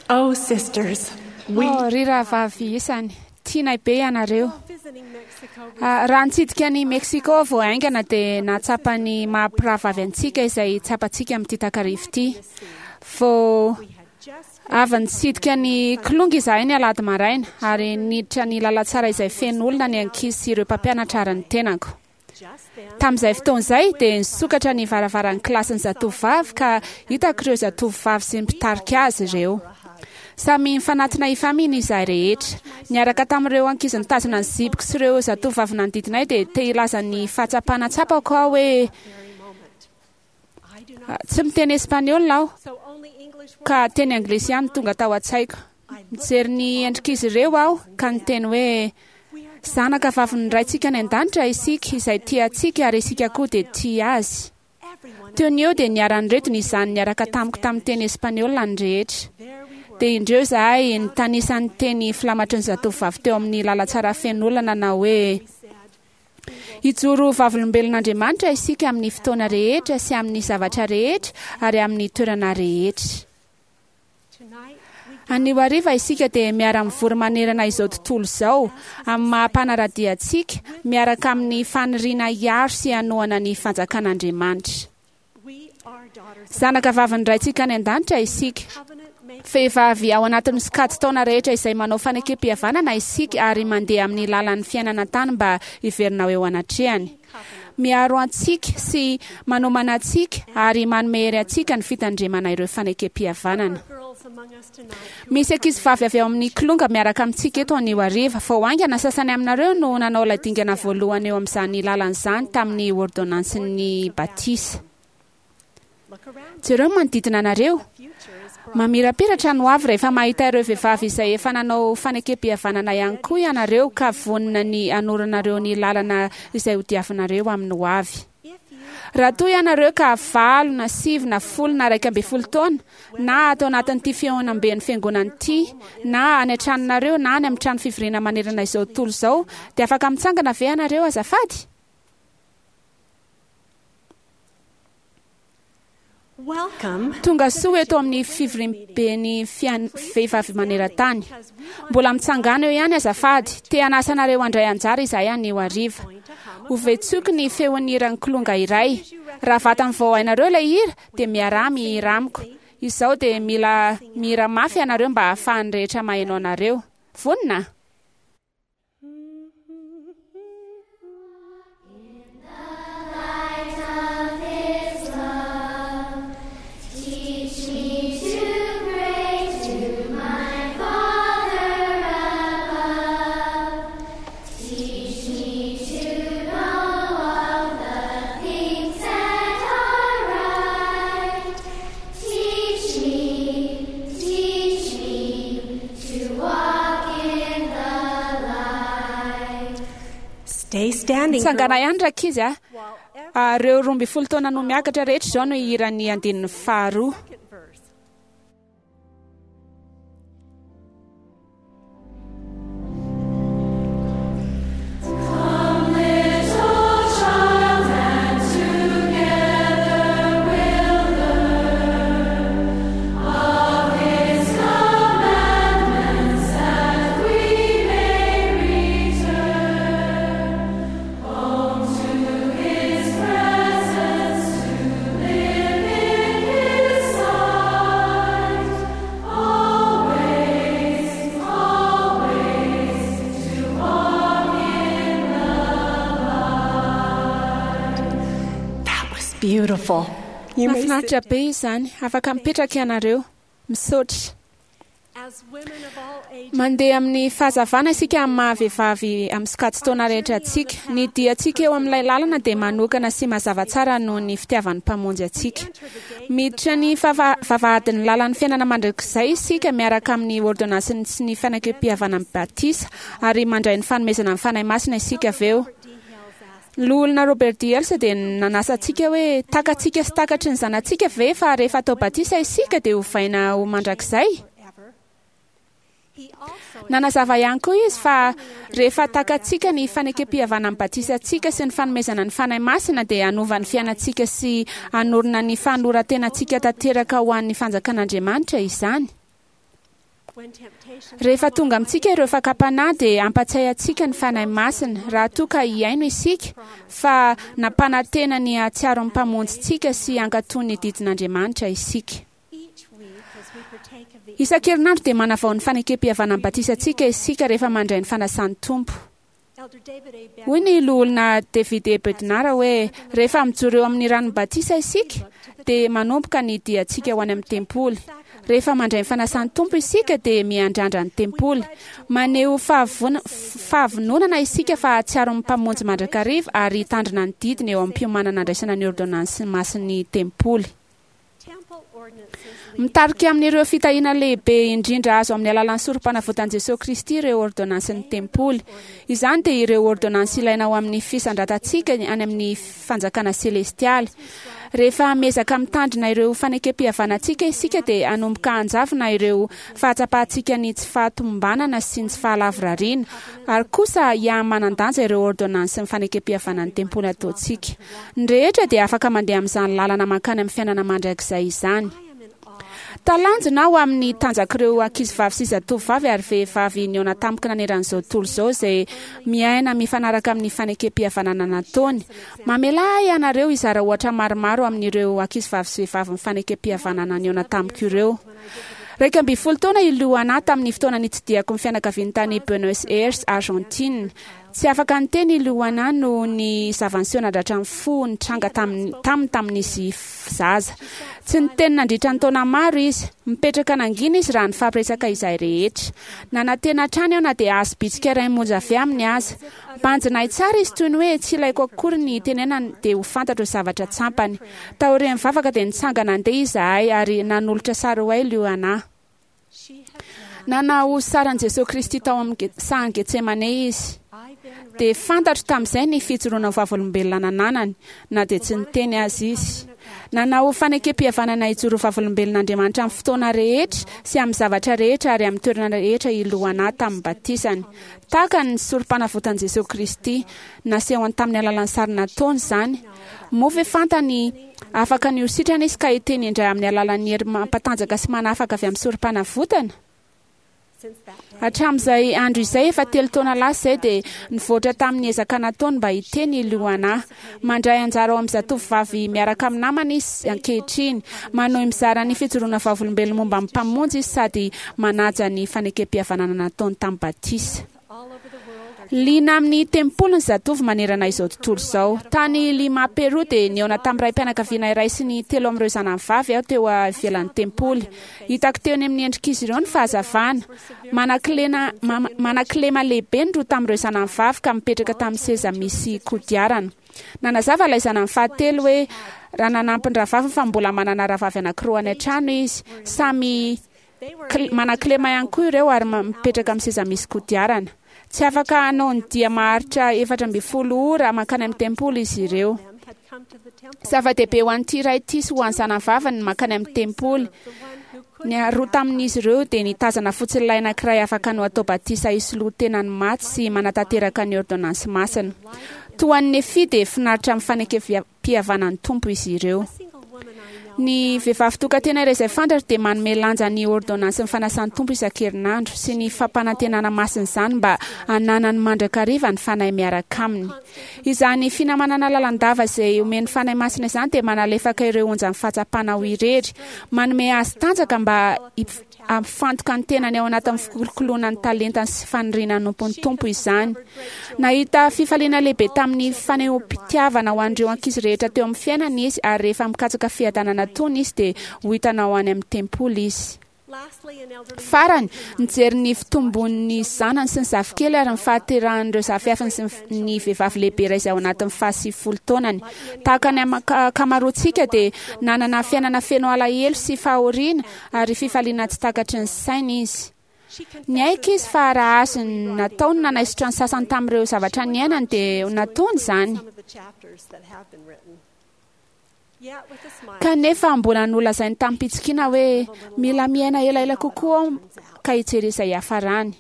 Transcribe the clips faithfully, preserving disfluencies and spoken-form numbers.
Oh, sisters, we Oh, ry rahavavy isany, tianay be ianareo. Ah, raha nitsidika ny Mexico vao haingana dia nahatsapa ny maha-mpirahavavy antsika izay tsapantsika amin'ity takariva ity. Vao avy nitsidika ny Kilonga izahay ny alahady maraina ary niditra ny lalantsara izay feno olona ny ankizy sy ireo mpampianatra ary ny tenako. Tamin'izay fotoana izay dia nisokatra ny varavaran'ny kilasin'ny zatovovavy ka hitako ireo zatovovavy sy ny mpitarika azy ireo. Samy nifanatona hifamihina izahay rehetra. Niaraka tamin'ireo ankizy nitazona ny zipiko sy ireo zatovovavy nanodidina ahy dia te hilaza ny fahatsapana tsapako aho hoe tsy miteny espaniola aho ka teny anglisy ihany tonga tao an-tsaiko. Mijery ny endrik'izy ireo aho ka niteny hoe zanaka vavin'ny Raintsika any an-danitra isika izay tia antsika ary isika koa dia tia azy. Teo ny eo dia niara-niredona izany niaraka tamiko tamin'ny teny espaniola ny rehetra. Dia indreo izahay nitanisa ny teny filamatry ny zatovovavy teo amin'ny lalantsara feno olona nanao hoe hijoro vavolombelon'Andriamanitra isika amin'ny fotoana rehetra sy amin'ny zavatra rehetra ary amin'ny toerana rehetra. Anio hariva isika dia miara-mivory manerana izao tontolo izao amin'ny maha-mpanara-dia antsika miaraka amin'ny faniriana hiaro sy hanohana ny fanjakan'Andriamanitra. Zanaka vavin'ny Raintsika any an-danitra isika. Vehivavy ao anatin'ny sokajin-taona rehetra izay manao fanekem-pihavanana isika ary mandeha amin'ny lalan'ny fiainana an-tany mba hiverina ho eo anatrehany. Miaro antsika sy manomana antsika ary manome hery antsika ny fitandremana ireo fanekem-pihavanana. Misy ankizivavy avy ao amin'ny Kilonga miaraka amintsika eto anio hariva. Vao haingana sasany aminareo no nanao ilay dingana voalohany eo amin'izany lalana izany tamin'ny ordonnansin'ny batisa. Jereo ny manodidina anareo. Mamirapiratra ny hoavy rehefa mahita ireo vehivavy izay efa nanao fanekem-pihavanana ihany koa ianareo ka vonona ny hanoranareo ny lalana izay hodiavinareo amin'ny hoavy. Raha toa ianareo ka valo na sivy na folo na iraika ambin'ny folo taona na ato anatin'ity fihaonamben'ny fiangonana ity na any an-tranonareo na any amin'ny trano fivoriana manerana izao tontolo izao dia afaka mitsangana ve ianareo azafady? Welcome. Tonga soa eto amin'ny fivoriamben'ny fian- vehivavy maneran-tany. Mbola mitsangana eo ihany azafady, te hanasa anareo handray anjara izahay anio hariva. Ho vetsoky ny feon'ny hiran'ny Kilonga iray. Raha vatany vao hainareo ilay hira dia miaraha mihira amiko. Izao dia mila mihira mafy ianareo mba hahafahan'ny rehetra maheno anareo. Vonona? Teach me to pray to my Father above. Teach me to know all the things that are right. Teach me, teach me to walk in the light. Stay standing. Mitsangana girls. ihany rankizy a. Ah, Ireo roa ambin'ny folo taona no miakatra rehetra izao no hiran'ny andininy faharoa. Second verse. Come, little child, and together we'll learn of His commandments that we may return home to His presence to live in His sight, always, always to walk in the light. That was beautiful. You may sit Mahafinaritra be izany, afaka mipetraka ianareo. Misaotra. As women of all ages, Mandeha amin'ny fahazavana isika amin'ny maha-vehivavy amin'ny sokajin-taona rehetra antsika. Ny diantsika eo amin'ilay lalana dia manokana sy mazava tsara noho ny fitiavan'ny Mpamonjy antsika. Miditra ny vava- vavahadin'ny lalan'ny fiainana mandrakizay isika miaraka amin'ny ordonnansiny sy ny fanekem-pihavanana amin'ny batisa ary mandray ny fanomezana ny Fanahy Masina isika avy eo. D. Hales asked, Ny loholona Robert D. Hales dia nanasa antsika hoe takatsika sy takatry ny zanatsika ve fa rehefa atao batisa isika dia hovaina ho mandrakizay? forever. He also Nanazava ihany koa izy fa rehefa takatsika ny fanekem-pihavanana amin'ny batisantsika sy ny fanomezana ny Fanahy Masina dia hanova ny fiainantsika sy hanorina ny fanoloran-tenantsika tanteraka ho an'ny fanjakan'Andriamanitra izany. Rehefa tonga amintsika ireo fakam-panahy dia ampatsiahy antsika ny Fanahy Masina raha toa ka hihaino isika fa nampanantena ny hahatsiaro ny Mpamonjintsika sy hankatò ny didin'Andriamanitra isika. Isan-kerinandro dia manavao ny fanekem-pihavanan'ny batisantsika isika rehefa mandray ny fanasan'ny Tompo. Hoy ny loholona David E. Bednar hoe rehefa mijoro eo amin'ny ranon'ny batisa isika dia manomboka ny diantsika ho any amin'ny tempoly. Rehefa mandray ny fanasan'ny Tompo isika dia miandrandra ny tempoly. Maneho fahavona- fahavononana isika fa hahatsiaro ny Mpamonjy mandrakariva ary hitandrina ny didiny eo amin'ny fiomanana andraisana ny ôrdônansy masin'ny tempoly. Mitarika amin'ireo fitahiana lehibe indrindra azo amin'ny alalan'ny sorom-panavotan'i Jesosy Kristy ireo ôrdônansin'ny tempoly. Izany dia ireo ôrdônansy ilaina ho amin'ny fisandratantsika any amin'ny fanjakana selestialy. Rehefa miezaka mitandrina ireo fanekem-pihavanantsika isika dia hanomboka hanjavona ireo fahatsapantsika ny tsy fahatomombanana sy ny tsy fahalavorariana, ary kosa hiha-manan-danja ireo ôrdônansin'ny fanekem-pihavanan'ny tempoly ataontsika. Ny rehetra dia afaka mandeha amin'izany lalana mankany amin'ny fiainana mandrakizay izany. Talanjona aho amin'ny tanjak'ireo ankizivavy sy zatovovavy ary vehivavy nihaona tamiko naneran'izao tontolo izao izay miaina mifanaraka amin'ny fanekem-pihavanana nataony. Mamelà ahy ianareo hizara ohatra maromaro amin'ireo ankizivavy sy vehivavy ny fanekem-pihavanana nihaona tamiko ireo. Iraika ambin'ny folo taona i Luana tamin'ny fotoana nitsidihako ny fianakaviany tany Buenos Aires, Argentine. Tsy afaka niteny i Luana noho ny zava-niseho nandratra ny fo nitranga taminy taminy tamin'izy zaza. Tsy niteny nandritra ny taona maro izy. Mipetraka nangina izy raha nifampiresaka izahay rehetra. Nanantena hatrany aho na dia azo bitsika iray monja avy aminy aza. Banjina ahy tsara izy toy ny hoe tsy ilaiko akory ny hitenenany dia ho fantatro ny zavatra tsampany. Taorian'ny vavaka dia nitsangana nandeha izahay ary nanolotra sary ho ahy Luana. Nanao saran'i Jesosy Kristy tao amin'ny sahan'i Getsemane izy. Dia fantatro tamin'izay ny fijoroana ho vavolombelona nananany, na dia tsy niteny aza izy. Nanao fanekem-pihavanana hijoro ho vavolombelon'Andriamanitra amin'ny fotoana rehetra sy amin'ny zavatra rehetra ary amin'ny toerana rehetra i Luana tamin'ny batisany. Tahaka ny sorom-panavotan'i Jesosy Kristy, nasehony tamin'ny alalan'ny sary nataony izany. Moa ve fantany afaka ny ho sitrana izy ka hiteny indray amin'ny alalan'ny hery mampatanjaka sy manafaka avy amin'ny sorom-panavotana? Hatramin'izay andro izay, efa telo taona lasa izay, dia nivoatra tamin'ny ezaka nataony mba hiteny i Luana. Mandray anjara ao amin'ny zatovovavy miaraka amin'ny namany izy ankehitriny. Manohy mizara ny fijoroana vavolombelona momba ny Mpamonjy izy sady manaja ny fanekem-pihavanana nataony tamin'ny batisa. Liana amin'ny tempoly ny zatovo manerana izao tontolo izao. Tany Lima, Peru dia nihaona tamin'ny raim-pianakaviana iray sy ny telo amin'ireo zanany vavy aho teo ivelan'ny tempoly. Hitako teo amin'ny endrik'izy ireo ny fahazavana. Manakilena, manakilema lehibe ny roa tamin'ireo zanany vavy ka mipetraka tamin'ny seza misy kodiarana. Nanazava ilay zanany fahatelo hoe raha nanampy ny rahavaviny fa mbola manana rahavavy anankiroa any an-trano izy. Samy manakilema ihany koa ireo ary mipetraka amin'ny seza misy kodiarana. Tsy afaka hanao ny dia maharitra efatra ambin'ny folo ora mankany amin'ny tempoly izy ireo. Zava-dehibe ho an'ity ray ity sy ho an'ny zanany vaviny ny mankany amin'ny tempoly. Ny roa tamin'izy ireo dia nitazana fotsiny ilay anankiray afaka no atao batisa hisoloa tena ny maty sy manatanteraka ny ôrdônansy masina. Toa an'i Nefia dia finaritra amin'ny fanekem-pihavanan'ny Tompo izy ireo. Ny vehivavy tokantena iray izay fantatro dia manome lanja ny ôrdônansin'ny fanasan'ny Tompo isan-kerinandro sy ny fampanantenana masin'izany mba hananany mandrakariva ny Fanahy miaraka aminy. Izany finamanana lalandava izay omen'ny Fanahy Masina izany dia manalefaka ireo onjan'ny fahatsapana ho irery, manome azy tanjaka mba hampifantoka ny tenany ao anatin'ny fikolokoloana ny talentany sy faniriana hanompo ny Tompo izany. Nahita fifaliana lehibe tamin'ny fanehoam-pitiavana ho an'ireo ankizy rehetra teo amin'ny fiainany izy, ary rehefa mikatsaka fiadanana tony izy dia ho hitanao any amin'ny tempoly izy. Farany, nijery ny fitombon'ny zanany sy ny zafikely ary ny fahaterahan'ireo zafiafiny sy ny vehivavy lehibe iray izay ao anatin'ny fahasivifolo taonany. Tahaka ny ankamaroantsika dia nanana fiainana feno alahelo sy fahoriana ary fifaliana tsy takatry ny saina izy. Niaiky izy fa raha azony natao ny nanaisotra ny sasany tamin'ireo zavatra niainany dia nataony izany. Kanefa mbola nolazainy tamim-pitsikiana hoe mila miaina elaela kokoa aho ka hijery izay hiafarany.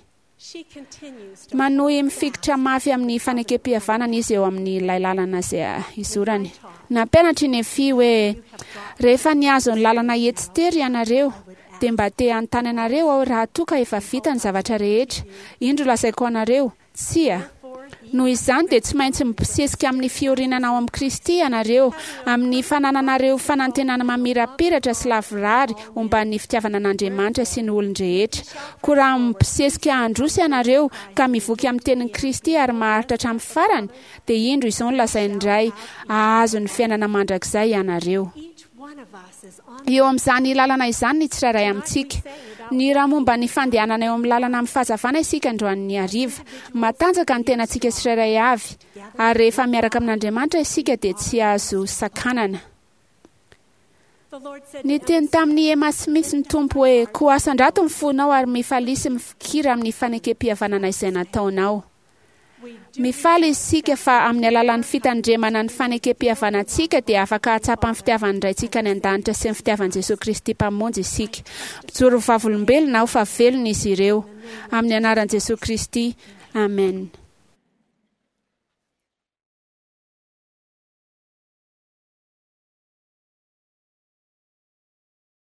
Manohy mifikitra mafy amin'ny fanekem-pihavanana izy eo amin'ilay lalana izay izorany. Nampianatra i Nefia hoe rehefa nihazo ny lalana etsy tery ianareo Dia mba te hanontany anareo aho raha toa ka efa vita ny zavatra rehetra. Indro lazaiko anareo, tsia. Noho izany dia tsy maintsy mibosesika amin'ny fiorenana ao amin'i Kristy ianareo, amin'ny fanananareo fanantenana mamirapiratra sy lavorary omban'ny fitiavana an'Andriamanitra sy ny olon-drehetra. Koa raha mibosesika handroso ianareo ka mivoky amin'ny tenin'i Kristy ary maharitra hatramin'ny farany, dia indro izao no lazain'ny Ray, hahazo ny fiainana mandrakizay ianareo. Each one of us is on Eo amin'izany lalana izany ny tsirairay amintsika. Ny raha momba ny fandehanana eo amin'ny lalana amin'ny fahazavana isika androany hariva. Matanjaka ny tenantsika tsirairay avy. Ary rehefa miaraka amin'Andriamanitra isika dia tsy azo sakanana. The Lord said to Niteny tamin'i Emma Smith ny Tompo hoe, koa asandrato ny fonao ary mifalia sy mifikira amin'ny fanekem-pihavanana izay nataonao. We do Mifaly isika fa amin'ny alalan'ny fitandremana ny fanekem-pihavanantsika dia afaka hahatsapa ny fitiavan'ny Raintsika any an-danitra sy ny fitiavan'i Jesosy Kristy Mpamonjy isika. Mijoro ho vavolombelona aho fa velona izy ireo. Amin'ny anaran'i Jesosy Kristy. Amen.